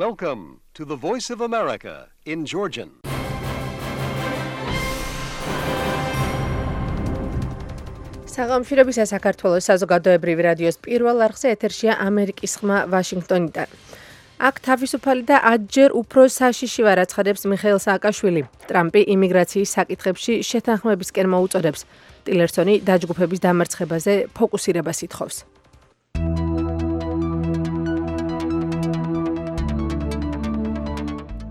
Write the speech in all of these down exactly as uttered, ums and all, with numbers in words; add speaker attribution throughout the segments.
Speaker 1: Welcome to the Voice of America in Georgian.
Speaker 2: საღამოშრობისა საქართველოს საზოგადოებრივი რადიოს პირველ არხზე ეთერშია ამერიკის ხმა ვაშინგტონიდან. აქ თავისუფალი და ათჯერ უფრო საშიში ვარ აცხადებს მიხეილ სააკაშვილი. ტრამპი იმიგრაციის საკითხებში შეთანხმებისკენ მოუწოდებს. ტილერსონი დაჯგუფების დამარცხებაზე ფოკუსირებას ითხოვს.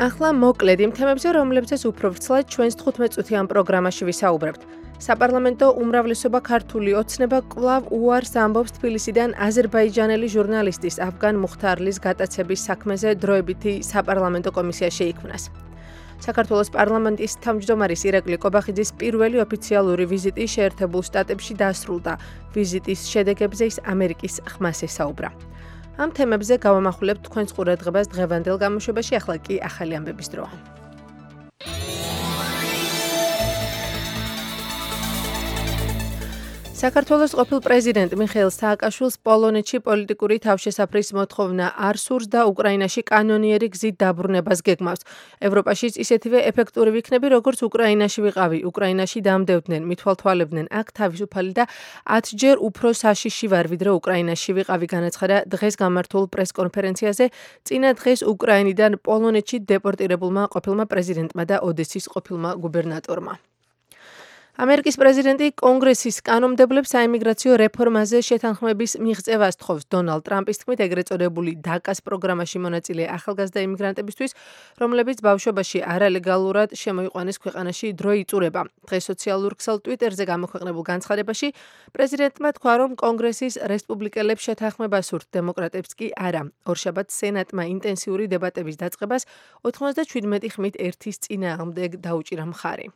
Speaker 2: ახლა მოკლედ იმ თემებზე, რომლებზეც უფრო ვრცლად ჩვენს თხუთმეტ-წუთიან პროგრამაში ვისაუბრებთ. საპარლამენტო უმრავლესობა ქართული ოცნება კვლავ უარს ამბობს თბილისიდან აზერბაიჯანელი ჟურნალისტის აფგან მუხთარლის გატაცების საქმეზე დროებითი საპარლამენტო კომისია შეიქმნას. საქართველოს პარლამენტის თავმჯდომარის ირაკლი კობახიძის პირველი ოფიციალური ვიზიტი შეერთებულ შტატებში დასრულდა. ვიზიტის შედეგებზე ის ამერიკის ხმას ესაუბრა. ამ თემებზე გავამახვილებთ თქვენს ყურადღებას დღევანდელ გამოშვებაში, ახლა კი ახალი ამბების დროა. საქართველოს ყოფილ პრეზიდენტ მიხეილ სააკაშვილს პოლონეთში პოლიტიკური თავშესაფრის მოთხოვნა არ სურს და უკრაინაში კანონიერი გზით დაბრუნებას გეგმავს. ევროპაშიც ისეთივე ეფექტური ვიქნები, როგორც უკრაინაში ვიყავი. უკრაინაში დამდევდნენ, მithვალთვალებდნენ, აქ თავისუფალი და ათჯერ უფრო საშიში ვარ, ვიდრე უკრაინაში ვიყავი, განაცხადა დღეს გამართულ პრესკონფერენციაზე წინა დღეს უკრაინიდან პოლონეთში დეპორტირებულმა ყოფილმა პრეზიდენტმა და ოდესის ყოფილმა გუბერნატორმა. ამერიკის პრეზიდენტი კონგრესის კანონმდებლებს საიმიგრაციო რეფორმაზე შეთანხმების მიღწევას თხოვს. დონალდ ტრამპის თქმით, ეგრეთ წოდებული დაკას პროგრამაში მონაწილე ახალგაზრდა იმიგრანტებისთვის, რომლებიც ბავშვობაში არალეგალურად შემოიყვანეს ქვეყანაში, დრო იწურება. დღეს სოციალურ ქსელ ტვიტერზე გამოქვეყნებულ განცხადებაში პრეზიდენტმა თქვა, რომ კონგრესის რესპუბლიკელებს შეთანხმება სურთ, დემოკრატებს კი არა. ორშაბათს სენატმა ინტენსიური დებატების დაწყებას ოთხმოცდაშვიდმეტი ხმით ერთის წინააღმდეგ დაუჭირა მხარი.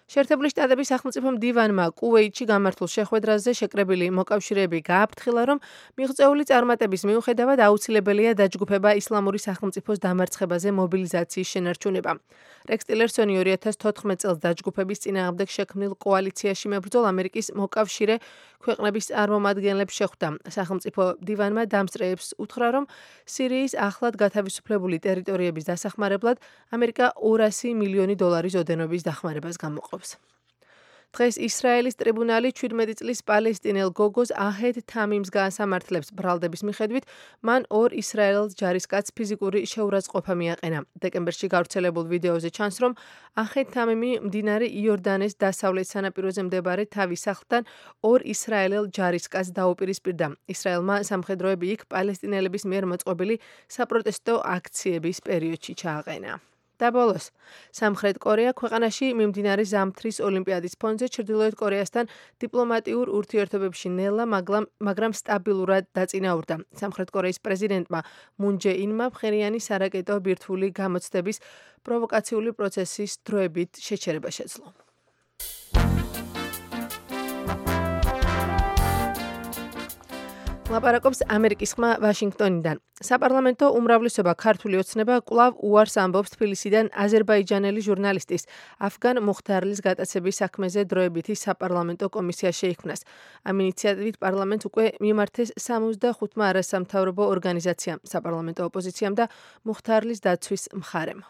Speaker 2: შეერთებული შტატების სახელმწიფო მდივანმა კუვეითში გამართულ შეხვედრაზე შეკრებილი მოკავშირეები გააფრთხილა, რომ მიღწეული წარმატების მიუხედავად აუცილებელია დაჯგუფება ისლამური სახელმწიფოს დამარცხებაზე მობილიზაციის შენარჩუნება. რექს ტილერსონი ორი ათას თოთხმეტ წელს დაჯგუფების წინააღმდეგ შექმნილ კოალიციაში მებრძოლ ამერიკის მოკავშირე ქვეყნების წარმომადგენლებს შეხვდა. სახელმწიფო მდივანმა დამსწრეებს უთხრა, რომ სირიის ახლად გათავისუფლებული ტერიტორიების დასახმარებლად ამერიკა ორასი მილიონი დოლარის ოდენობის დახმარებას გამოყობს. დღეს ისრაელის ტრიბუნალი ჩვიდმეტი წლის პალესტინელ გოგოს აჰედ თამიმს გაასამართლებს. ბრალდების მიხედვით მან ორ ისრაელელს ჯარისკაცს ფიზიკური შეურაცხყოფა მიაყენა. დეკემბერში გავრცელებულ ვიდეოზე ჩანს, რომ აჰედ თამიმი მდინარე იორდანეს დასავლეთ სანაპიროზე მდებარე თავის სახლთან ორ ისრაელელ ჯარისკაცს დაუპირისპირდა. ისრაელმა სამხედროები იქ პალესტინელების მიერ მოწყობილი საპროტესტო აქციების პერიოდში ჩააყენა. და ბოლოს, სამხრეთ კორეა ქვეყანაში მიმდინარე ზამთრის ოლიმპიადის ფონზე ჩრდილოეთ კორეასთან დიპლომატიურ ურთიერთობებში ნელა, მაგრამ სტაბილურად დაწინაურდა. სამხრეთ კორეის პრეზიდენტმა მუნ ჯე ინმა ფხერიანი სარაკეტო ბირთვული გამოცდების პროვოკაციული პროცესის დროებით შეჩერება შეძლო. ლაპარაკობს ამერიკის ხმა ვაშინგტონიდან. საპარლამენტო უმრავლესობა ქართული ოცნება კვლავ უარს ამბობს თბილისიდან აზერბაიჯანელი ჟურნალისტის აფგან მუხთარლის გატაცების საქმეზე დროებითი საპარლამენტო კომისია შეიქმნას. ამ ინიციატივით პარლამენტს უკვე მიმართეს სამოცდახუთმა არასამთავრობო ორგანიზაციამ, საპარლამენტო ოპოზიციამ და მუხთარლის დაცვის მხარემ.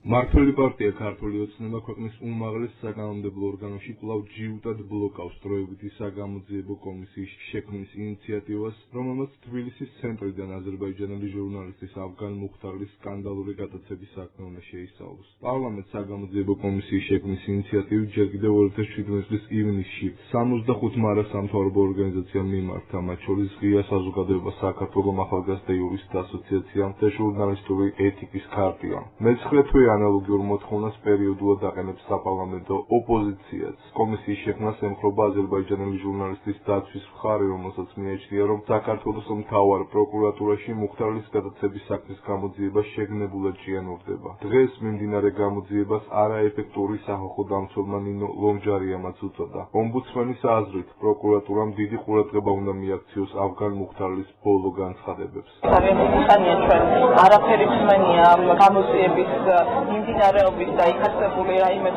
Speaker 3: მართველი პარტია ქართული ოცნება ქვეყნის უმაღლეს საკანონმდებლო ორგანოში კვლავ ჯიუტად ბლოკავს დროებითი საგამოძიებო კომისიის შექმნის ინიციატივას, რომელმაც თბილისის ცენტრიდან აზერბაიჯანელი ჟურნალისტის აფგან მუხთარლის სკანდალური გატაცების საქმე უნდა შეისწავლოს. პარლამენტს საგამოძიებო კომისიის შექმნის ინიციატივი ჯერ კიდევ ორი ათას შვიდმეტი წლის ივნისში სამოცდახუთმა არასამთავრობო ორგანიზაციამ მიმართა, მათ შორის ღია საზოგადოება საქართველოს ახალგაზრდა იურისტთა ასოციაციამ და ჟურნალისტური ეთიკის ქარტიამ. მეცხრე თვე ანალოგიურ მოთხოვნას პერიოდულად აყენებს საპარლამენტო ოპოზიციაც. კომისიის შექმნას ემხრობა აზერბაიჯანელი ჟურნალისტის დაცვის მხარე, რომელსაც მიაჩნია, რომ საქართველოს მთავარ პროკურატურაში მუხთარლის გატაცების საქმის გამოძიება შეგნებულად ჭიანურდება. დღეს მიმდინარე გამოძიებას არაეფექტური სახალხო დამცველმა ნინო ლომჯარიამაც უწოდა. ომბუდსმენის აზრით, პროკურატურამ დიდი ყურადღება უნდა მიაქციოს აფგან მუხთარლის ბოლო განცხადებებს.
Speaker 4: არაფერი ხანია ჩვენ არაფერი ხმენია ამ გამოძიების მიმდინარეობის და იქ არსებული რაიმე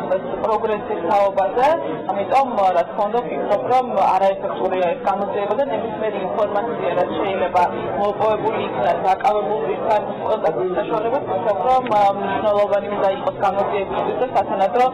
Speaker 4: პროგრესის თაობაზე, ამიტომ რა თქმა უნდა ვფიქრობ, რომ არაეფექტურია ეს გამოძიება და ნებისმიერი ინფორმაცია, რაც შეიძლება მოპოვებული იქნას დაკავებულ პირთან კონტაქტის საშუალებას, ვფიქრობ, რომ მნიშვნელოვანი უნდა იყოს გამოძიებისთვის და სათანადო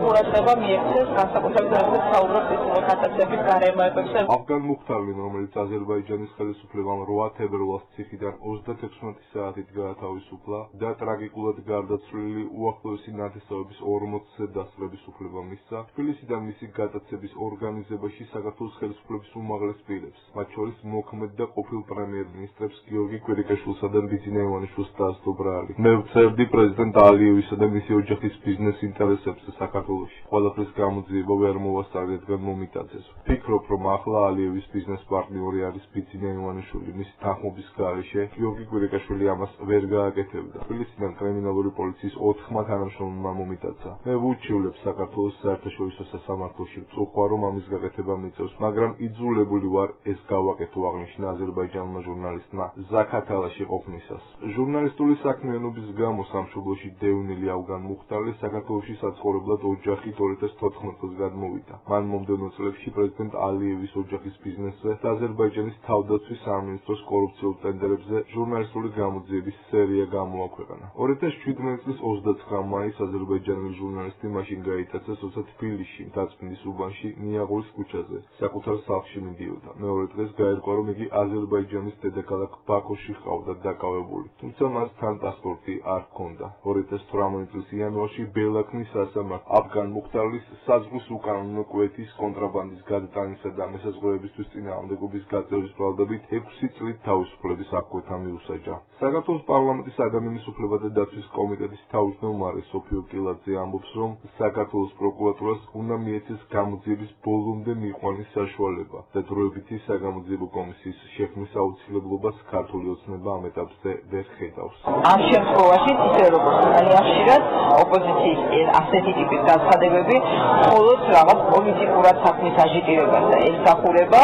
Speaker 4: ყურადღება მიექცეს განსაკუთრებით როგორც საუბრობთ ის გატაცების გარემოებებზე.
Speaker 3: Afgan Mukhtarli, რომელიც აზერბაიჯანის ხელისუფლებამ რვა თებერვალს ციხიდან ოცდათექვსმეტი საათით გაათავისუფლა და ტრაგიკულად გარდაცვლილი უახლოესი ნათესავების ორმოცზე დასწრების უფლება მისცა, თბილისიდან მისი გატაცების ორგანიზებაში საქართველოს ხელისუფლების უმაღლეს პირებს, მათ შორის მოქმედ და ყოფილ პრემიერ-მინისტრებს გიორგი კვირიკაშვილსა და ბიძინა ივანიშვილს დაასდობრალი. მე ვწერდი პრეზიდენტ ალიევისა და მისი ოჯახის ბიზნეს ინტერესებზე საქართველოში. ყველაფრის გამოძიება ვერ მოვასწარი, რადგან მომიტაძეს. ვფიქრობ, რომ ახლა ალიევის ბიზნეს პარტნიორი არის ბიძინა ივანიშვილი. მისი თანხმობის გარეშე გიორგი კვირიკაშვილი ამას ვერ გააკეთებდა. თბილისიდან კრიმინალური პოლიციის ოთხმა თანამშრომელმა მომიტაცა. მე ვუჩივლებ საქართველოს საერთაშორისო სასამართლოში, ვწუხვა, რომ ამის გაკეთება მიწევს, მაგრამ იძულებული ვარ ეს გავაკეთო, აღნიშნა აზერბაიჯანულმა ჟურნალისტმა ზაქათალაში ყოფნისას. ჟურნალისტური საქმიანობის გამო სამშობლოში დევნილი ავგან მუხტარლი საქართველოში საცხოვრებლად ოჯახით ორი ათას თოთხმეტ წელს გადმოვიდა. მან მომდევნო წლებში პრეზიდენტ ალიევის ოჯახის ბიზნესზე და აზერბაიჯანის თავდაცვის სამინისტროს კორუფციულ ტენდერებზე ჟურნალისტური გამოძიების სერია გამოაქვეყნა. ორი ათას შვიდმეტი წლის ოცდაცხრა მაისს აზერბაიჯანელი ჟურნალისტი მაშინ გაიტაცეს, როცა თბილისში დაწმინდის უბანში ნიაღურის ქუჩაზე საკუთარ სახლში მიდიოდა. მეორე დღეს გაირკვა, რომ იგი აზერბაიჯანის დედაქალაქ ბაქოში ჰყავდა დაკავებული, თუმცა მას თან პასპორტი არ ჰქონდა. ორი ათას თვრამეტი წლის იანვარში ბელაქნის სასამართლო აფგან მუხტარლის საზღვის უკანონო კვეთის კონტრაბანდის გადატანისა და მესაზღვრეებისთვის წინააღმდეგობის გაწევის ბრალდებით ექვსი წლით თავისუფლების აღკვეთა მიუსაჯა. საქართველოს პარლამენტის ადამიანის უფლებათა დაცვის კომიტეტის თავმჯდომარე სოფიო კილაძე ამბობს, რომ საქართველოს პროკურატურას უნდა მიეცეს გამოძიების ბოლომდე მიყვანის საშუალება და დროებითი საგამოძიებო კომისიის შექმნის აუცილებლობას ქართული ოცნება ამ ეტაპზე ვერ ხედავს.
Speaker 4: ამ შემთხვევაში ისე როგორც ძალიან ხშირად ოპოზიციის ასეთი ტიპის განცხადებები მხოლოდ რაღაც პოლიტიკურად საქმის აჟიტირებაზე ემსახურება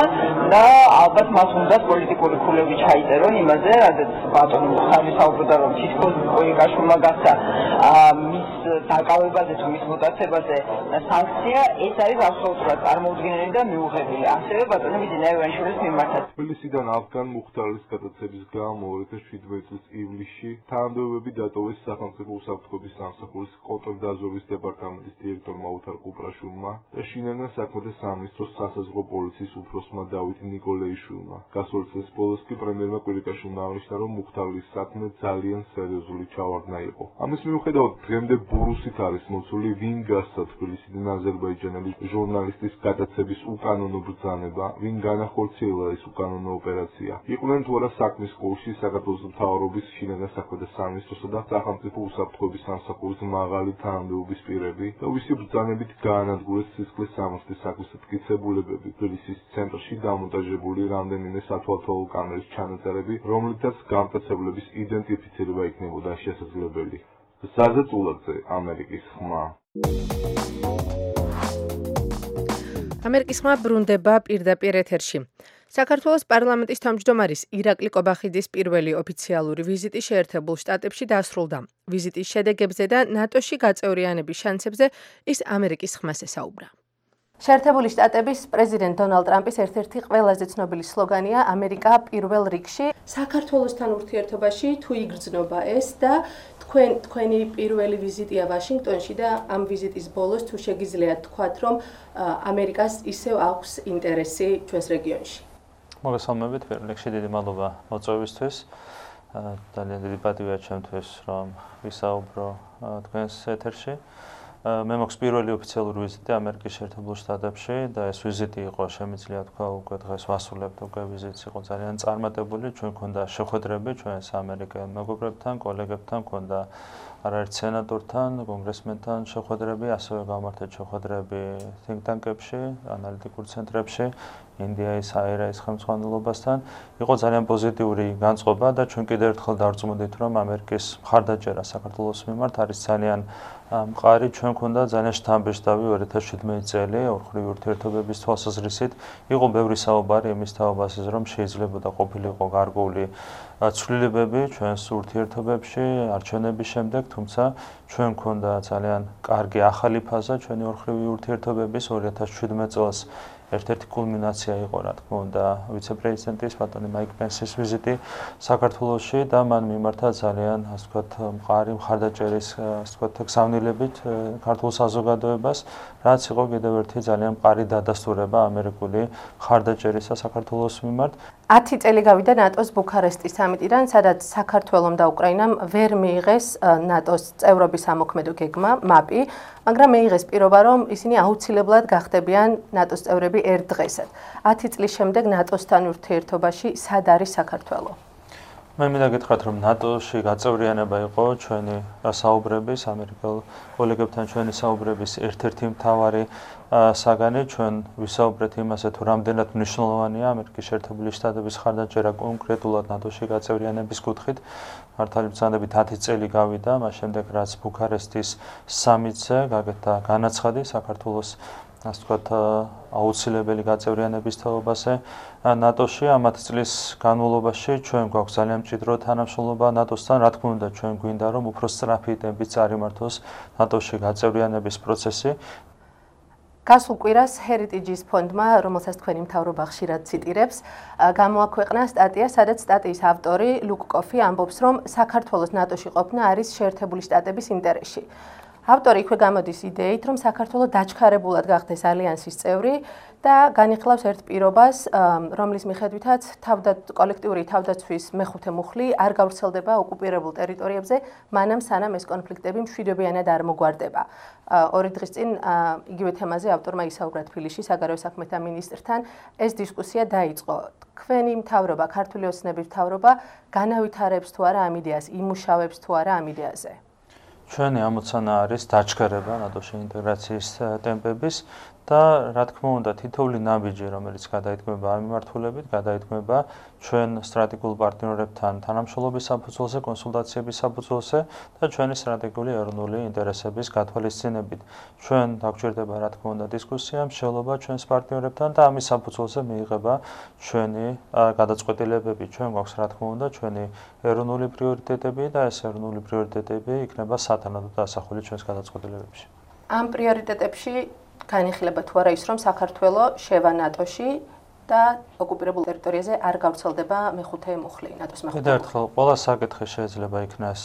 Speaker 4: და ალბათ მას უნდა პოლიტიკური ქულები ჩაიწერონ იმაზე, რადგან ბატონი მუხტარლი საუბრობდა, რომ თითქოს კვირიკაშვილმა გასცა მის დაკავებაზე თუ მის მოტაცებაზე სანქცია, ეს არის აბსოლუტურად წარმოუდგენელი და მიუღებელი. ასევე ბატონი ბიძინა ივანიშვილის მიმართაც.
Speaker 3: თბილისიდან აფგან მუხტარლის გადაცემის გამო ორი ათას შვიდმეტი წლის ივლისში თანამდებობები დატოვეს სახელმწიფო უსაფრთხოების სამსახურის კონტრდაზვერვის დეპარტამენტის დირექტორმა ოთარ კუპრაშვილმა და შინაგან საქმეთა სამინისტროს სასაზღვრო პოლიციის უფროსმა დავით ნიკოლეიშვილმა. გასული წლის ბოლოს კი პრემიერმა კვირიკაშვილმა აღნიშნა, რომ მუხტარლის საქმე ძალიან სერიოზული ჩავარდნა იყო. ამის მიუხედავად დღემდე ბურუსით არის მოცული, ვინ გასცა თბილისიდან აზერბაიჯანელი ჟურნალისტის გადაცემის უკანონო ბრძანება, ვინ განახორციელა ეს უკანონო ოპერაცია. იყვნენ თუ არა საქმის კურსში საქართველოს მთავრობის, შინაგან საქმეთა სამინისტროსა და სახელმწიფო უსაფრთხოების სამსახურის მაღალი თანამდებობის პირები და ვისი ბრძანებით გაანადგურეს სისხლის სამართლის საქმის მტკიცებულებები. თბილისის ცენტრში დამონტაჟებული რამდენიმე სათვალთვალო კამერის ჩანაწერები, რომლითაც გამტაცებლების იდენტიფიცირება იქნებოდა შესაძლებელი. ზაზა წულაძე, ამერიკის ხმა.
Speaker 2: ამერიკის ხმა ბრუნდება პირდაპირ ეთერში. საქართველოს პარლამენტის თავმჯდომარის ირაკლი კობახიძის პირველი ოფიციალური ვიზიტი შეერთებულ შტატებში დასრულდა. ვიზიტის შედეგებზე და ნატოში გაწევრიანების შანსებზე ის ამერიკის ხმას ესაუბრა. შეერთებული შტატების პრეზიდენტ დონალდ ტრამპის ერთ-ერთი ყველაზე ცნობილი სლოგანია ამერიკა პირველ რიგში. საქართველოსთან ურთიერთობაში თუ იგრძნობა ეს და თქვენ თქვენი პირველი ვიზიტია ვაშინგტონში და ამ ვიზიტის ბოლოს თუ შეგიძლიათ თქვათ, რომ ამერიკას ისევ აქვს ინტერესი ჩვენს რეგიონში.
Speaker 5: მოგესალმებით, პირველ რიგში დიდი მადლობა მოწვევისთვის. ძალიან დიდი პატივია ჩემთვის, რომ ვისაუბრო თქვენს ეთერში. მე მაქვს პირველი ოფიციალური ვიზიტი ამერიკის შეერთებულ შტატებში და ეს ვიზიტი იყო, შემიძლია თქვა, უკვე დღეს ვასრულებთ, უკვე ვიზიტი იყო ძალიან წარმატებული. ჩვენ გვქონდა შეხვედრები ჩვენს ამერიკელ მეგობრებთან, კოლეგებთან, გვქონდა არაერთ სენატორთან, კონგრესმენთან შეხვედრები, ასევე გავმართეთ შეხვედრები think tank-ებში, ანალიტიკურ ცენტრებში. ინდიის აერაის ხელმძღვანელობასთან. იყო ძალიან პოზიტიური განწყობა და ჩვენ კიდევ ერთხელ დავწმუნდით, რომ ამერიკის მხარდაჭერა საქართველოს მიმართ არის ძალიან მყარი. ჩვენ ქონდა ძალიან შთამბეჭდავი ორი ათას შვიდმეტი წელი ორმხრივი ურთიერთობების თვალსაზრისით. იყო ბევრი საუბარი იმის თაობაზე, რომ შეიძლება და ყოფილიყო გარკვეული ცვლილებები ჩვენს ურთიერთობებში არჩევნების შემდეგ, თუმცა ჩვენ ქონდა ძალიან კარგი ახალი ფაზა ჩვენი ორმხრივი ურთიერთობების ორი ათას შვიდმეტ წელს. ერთ-ერთი კულმინაცია იყო, რა თქმა უნდა, ვიცე-პრეზიდენტის ბატონი მაიკ პენსის ვიზიტი საქართველოში და მან მიმართა ძალიან, ასე ვთქვათ, მყარი მხარდაჭერის, ასე ვთქვათ, გზავნილებით ქართულ საზოგადოებას, რაც იყო კიდევ ერთი ძალიან მყარი დადასტურება ამერიკული მხარდაჭერისა საქართველოს მიმართ.
Speaker 2: ათი წელი გავიდა ნატოს ბუქარესტის სამიტიდან, სადაც საქართველომ და უკრაინამ ვერ მიიღეს ნატოს წევრობის ამოქმედო გეგმა, მაპი, მაგრამ მიიღეს პირობა, რომ ისინი აუცილებლად გახდებიან ნატოს წევრები ერთ დღესად. ათი წლის შემდეგ ნატოსთან ურთიერთობაში სად არის საქართველო?
Speaker 5: მე მინდა გითხრათ, რომ ნატოში გაწევრიანება იყო ჩვენი საუბრების, ამერიკელ კოლეგებთან ჩვენი საუბრების ერთ-ერთი მთავარი საგანი. ჩვენ ვისაუბრეთ იმაზე, თუ რამდენად მნიშვნელოვანია ამერიკის შეერთებული შტატების მხარდაჭერა კონკრეტულად ნატოში გაწევრიანების კუთხით. მართალი ბრძანებით ათი წელი გავიდა, მას შემდეგ რაც ბუქარესტის სამიტზე გაკეთდა განაცხადი საქართველოს, ასე ვთქვათ, აუცილებელი გაწევრიანების თაობაზე ნატოში. ამ ათი წლის განმავლობაში ჩვენ გვაქვს ძალიან მჭიდრო თანამშრომლობა ნატოსთან. რა თქმა უნდა, ჩვენ გვინდა, რომ უფრო სწრაფი ტემპით წარიმართოს ნატოში გაწევრიანების პროცესი.
Speaker 2: გასულ კვირას Heritage-ის ფონდმა, რომელსაც თქვენი მთავრობა ხშირად ციტირებს, გამოაქვეყნა სტატია, სადაც სტატიის ავტორი ლუკ კოფი ამბობს, რომ საქართველოს ნატოში ყოფნა არის შეერთებული შტატების ინტერესში. ავტორი იქვე გამოდის იდეით, რომ საქართველო დაჩქარებულად გახდეს ალიანსის წევრი და განიხილავს ერთ პირობას, რომლის მიხედვითაც კოლექტიური თავდაცვის მეხუთე მუხლი არ გავრცელდება ოკუპირებულ ტერიტორიებზე, მანამ სანამ ეს კონფლიქტები მშვიდობიანად არ მოგვარდება. ორი დღის წინ იგივე თემაზე ავტორმა ისაუბრა თბილისში საგარეო საქმეთა მინისტრთან. ეს დისკუსია დაიწყო. თქვენი მთავრობა, ქართული ოცნების მთავრობა განავითარებს თუ არა ამ იდეას, იმუშავებს თუ არა ამ იდეაზე?
Speaker 5: ჩვენი ამოცანა არის დაჩქარება ნატოში ინტეგრაციის ტემპების და რა თქმა უნდა თითოეული ნაბიჯი, რომელიც გადაიტყვება ამ მიმართულებით, გადაიტყვება ჩვენ სტრატეგიულ პარტნიორებთან თანამშრომლობის საფუძველზე, კონსულტაციების საფუძველზე და ჩვენი სტრატეგიული ეროვნული ინტერესების გათვალისწინებით. ჩვენ დაგვჭირდება რა თქმა უნდა დისკუსია, მსჯელობა ჩვენს პარტნიორებთან და ამის საფუძველზე მიიღება ჩვენი გადაწყვეტილებები. ჩვენ გვაქვს რა თქმა უნდა ჩვენი ეროვნული პრიორიტეტები და ეს ეროვნული პრიორიტეტები იქნება სათანადო დასახული ჩვენს გადაწყვეტილებებში.
Speaker 2: ამ პრიორიტეტებში განიხილება თუ არა ის, რომ საქართველო შევა ნატოში და ოკუპირებულ ტერიტორიაზე არ გავრცელდება მეხუთე მუხლი, ნატოს მეხუთე.
Speaker 5: კიდევ ერთხელ, ყველა საკითხი შეიძლება იქნას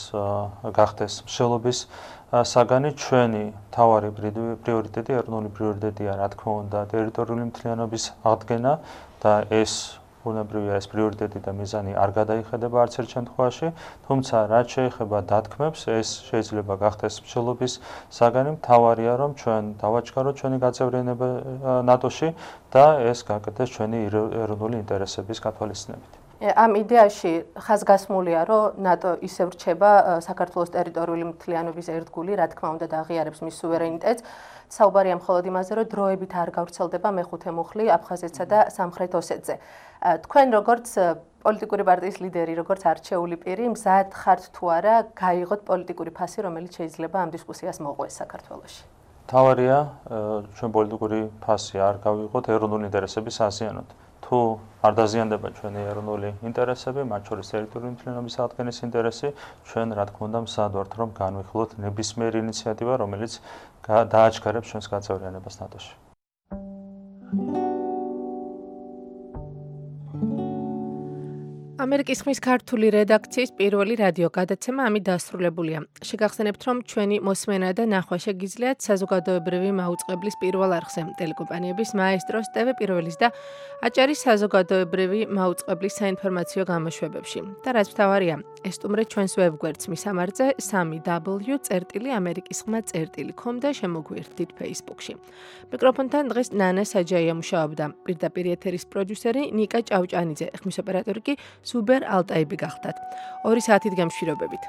Speaker 5: გახდეს მსჯელობის საგანი. ჩვენი მთავარი პრიორიტეტი, ეროვნული პრიორიტეტია, რა თქმა უნდა, ტერიტორიული მთლიანობის აღდგენა და ეს ბუნებრივია ეს პრიორიტეტი და მიზანი არ გადაიხედება არც ერთ შემთხვევაში, თუმცა რაც შეეხება დათქმებს, ეს შეიძლება გახდეს მსჯელობის საგანი. მთავარია, რომ ჩვენ დავაჩქაროთ ჩვენი გაწევრიანება ნატოში და ეს გაკეთდეს ჩვენი ეროვნული ინტერესების გათვალისწინებით.
Speaker 2: ამ იდეაში ხაზგასმულია, რომ ნატო ისევ რჩება საქართველოს ტერიტორიული მთლიანობის ერთგული, რა თქმა უნდა და აღიარებს მის სუვერენიტეტს. საუბარია მხოლოდ იმაზე, რომ დროებით არ გავრცელდება მეხუთე მუხლი აფხაზეთსა და სამხრეთ ოსეთზე. თქვენ როგორც პოლიტიკური პარტიის ლიდერი, როგორც არჩეული პირი, მზად ხართ თუ არა გაიღოთ პოლიტიკური ფასი, რომელიც შეიძლება ამ დისკუსიას მოყვეს საქართველოში?
Speaker 5: მთავარია, ჩვენ პოლიტიკური ფასი არ გავიღოთ ეროვნული ინტერესების აზიანოთ. თუ არ დაზიანდება ჩვენი ეროვნული ინტერესები, მათ შორის ტერიტორიული მთლიანობის აღდგენის ინტერესი, ჩვენ რა თქმა უნდა მზად ვართ, რომ განვიხილოთ ნებისმიერი ინიციატივა, რომელიც დააჩქარებს ჩვენს გაწევრიანებას ნატოში.
Speaker 2: ამერიკის ხმის ქართული რედაქციის პირველი რადიო გადაცემა ამით დასრულებულია. შეგახსენებთ, რომ ჩვენი მოსმენა და ნახვა შეგიძლიათ საზოგადოებრივი მაუწყებლის პირველ არხზე, ტელეკომპანიების მაესტროს, ტევ პირველის და აჭარის საზოგადოებრივი მაუწყებლის საინფორმაციო გამოშვებებში. და რაც მთავარია, ესტუმრეთ ჩვენს ვებგვერდს მისამართზე სამი დაბლიუ წერტილი ამერიკის ხმა წერტილი com და შემოგვიერთდით Facebook-ში. მიკროფონთან დღეს ნანა საჯაია მუშაობდა. პირდაპირ ეთერის პროდიუსერი ნიკა ჭავჭანიძე, ხმის ოპერატორი კი სუბერ ალტაიბი გახდათ. ორი საათით გამშვიდობებით.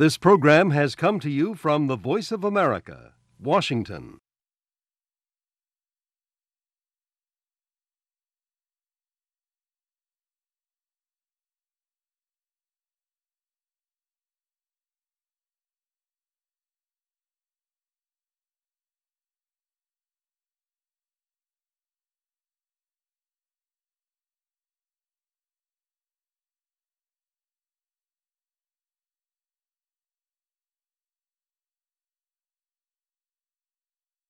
Speaker 1: This program has come to you from the Voice of America, Washington.